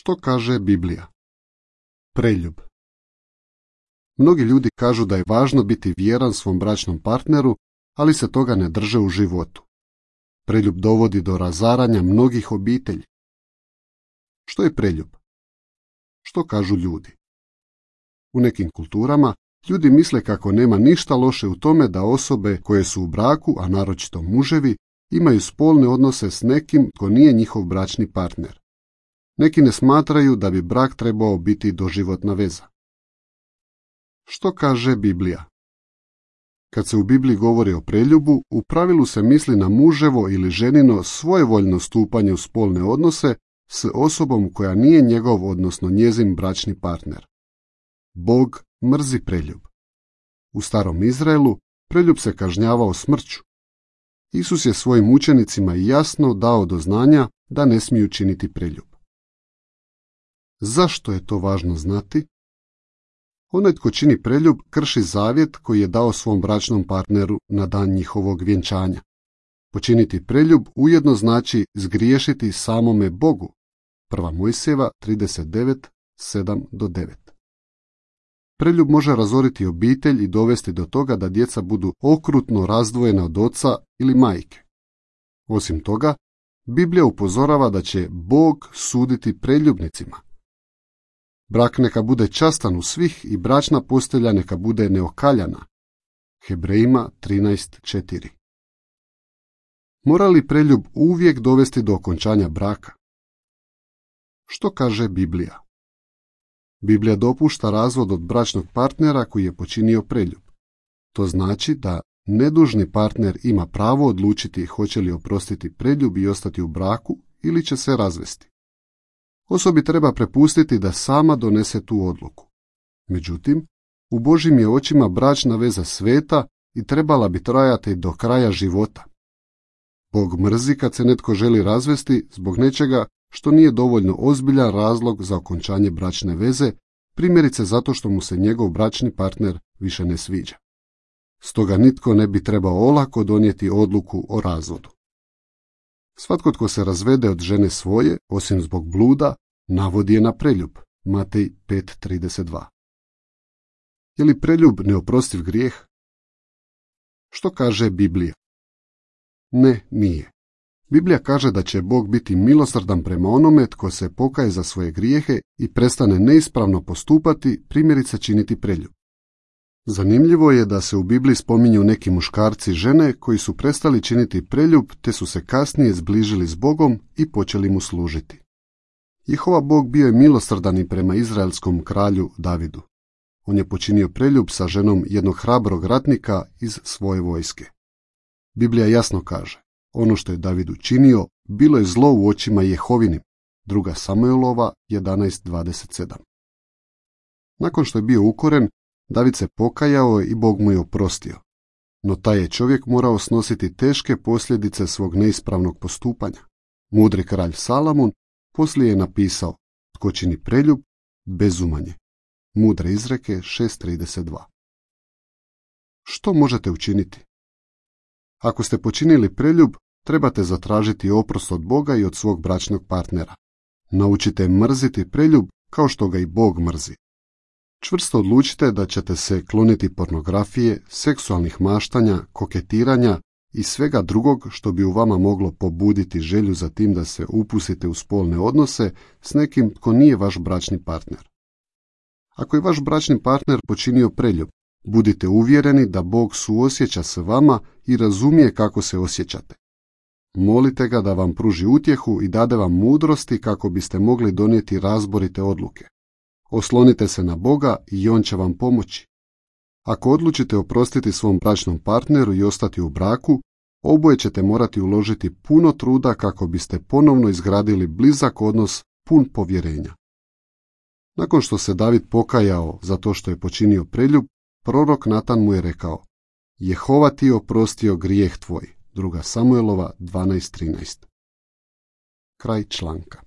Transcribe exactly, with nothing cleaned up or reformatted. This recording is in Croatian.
Što kaže Biblija? Preljub. Mnogi ljudi kažu da je važno biti vjeran svom bračnom partneru, ali se toga ne drže u životu. Preljub dovodi do razaranja mnogih obitelji. Što je preljub? Što kažu ljudi? U nekim kulturama ljudi misle kako nema ništa loše u tome da osobe koje su u braku, a naročito muževi, imaju spolne odnose s nekim tko nije njihov bračni partner. Neki ne smatraju da bi brak trebao biti doživotna veza. Što kaže Biblija? Kad se u Bibliji govori o preljubu, u pravilu se misli na muževo ili ženino svojevoljno stupanje u spolne odnose s osobom koja nije njegov, odnosno njezin bračni partner. Bog mrzi preljub. U starom Izraelu preljub se kažnjavao smrću. Isus je svojim učenicima jasno dao do znanja da ne smiju činiti preljub. Zašto je to važno znati? Onaj tko čini preljub krši zavjet koji je dao svom bračnom partneru na dan njihovog vjenčanja. Počiniti preljub ujedno znači zgriješiti samome Bogu. Prva Mojsijeva trideset devet, sedam do devet. Preljub može razoriti obitelj i dovesti do toga da djeca budu okrutno razdvojena od oca ili majke. Osim toga, Biblija upozorava da će Bog suditi preljubnicima. Brak neka bude častan u svih i bračna postelja neka bude neokaljana. Hebrejima trinaest četiri. Mora li preljub uvijek dovesti do okončanja braka? Što kaže Biblija? Biblija dopušta razvod od bračnog partnera koji je počinio preljub. To znači da nedužni partner ima pravo odlučiti hoće li oprostiti preljub i ostati u braku ili će se razvesti. Osobi treba prepustiti da sama donese tu odluku. Međutim, u Božjim je očima bračna veza sveta i trebala bi trajati do kraja života. Bog mrzi kad se netko želi razvesti zbog nečega što nije dovoljno ozbiljan razlog za okončanje bračne veze, primjerice zato što mu se njegov bračni partner više ne sviđa. Stoga nitko ne bi trebao olako donijeti odluku o razvodu. Svatko tko se razvede od žene svoje, osim zbog bluda, navodi je na preljub. Matej pet trideset dva. Je li preljub neoprostiv grijeh? Što kaže Biblija? Ne, nije. Biblija kaže da će Bog biti milosrdan prema onome tko se pokaje za svoje grijehe i prestane neispravno postupati, primjerice činiti preljub. Zanimljivo je da se u Bibliji spominju neki muškarci i žene koji su prestali činiti preljub te su se kasnije zbližili s Bogom i počeli mu služiti. Jehova Bog bio je milosrdan i prema izraelskom kralju Davidu. On je počinio preljub sa ženom jednog hrabrog ratnika iz svoje vojske. Biblija jasno kaže, ono što je David učinio bilo je zlo u očima Jehovinim. Druga Samuelova jedanaest dvadeset sedam. Nakon što je bio ukoren, David se pokajao i Bog mu je oprostio. No taj je čovjek morao snositi teške posljedice svog neispravnog postupanja. Mudri kralj Salamon poslije je napisao, tko čini preljub, bezumanje. Mudre izreke šest trideset dva. Što možete učiniti? Ako ste počinili preljub, trebate zatražiti oprost od Boga i od svog bračnog partnera. Naučite mrziti preljub kao što ga i Bog mrzi. Čvrsto odlučite da ćete se kloniti pornografije, seksualnih maštanja, koketiranja i svega drugog što bi u vama moglo pobuditi želju za tim da se upustite u spolne odnose s nekim tko nije vaš bračni partner. Ako je vaš bračni partner počinio preljub, budite uvjereni da Bog suosjeća s vama i razumije kako se osjećate. Molite ga da vam pruži utjehu i dade vam mudrosti kako biste mogli donijeti razborite odluke. Oslonite se na Boga i On će vam pomoći. Ako odlučite oprostiti svom bračnom partneru i ostati u braku, oboje ćete morati uložiti puno truda kako biste ponovno izgradili blizak odnos pun povjerenja. Nakon što se David pokajao za to što je počinio preljub, prorok Natan mu je rekao, Jehova ti je oprostio grijeh tvoj. Druga Samuelova dvanaest trinaest. Kraj članka.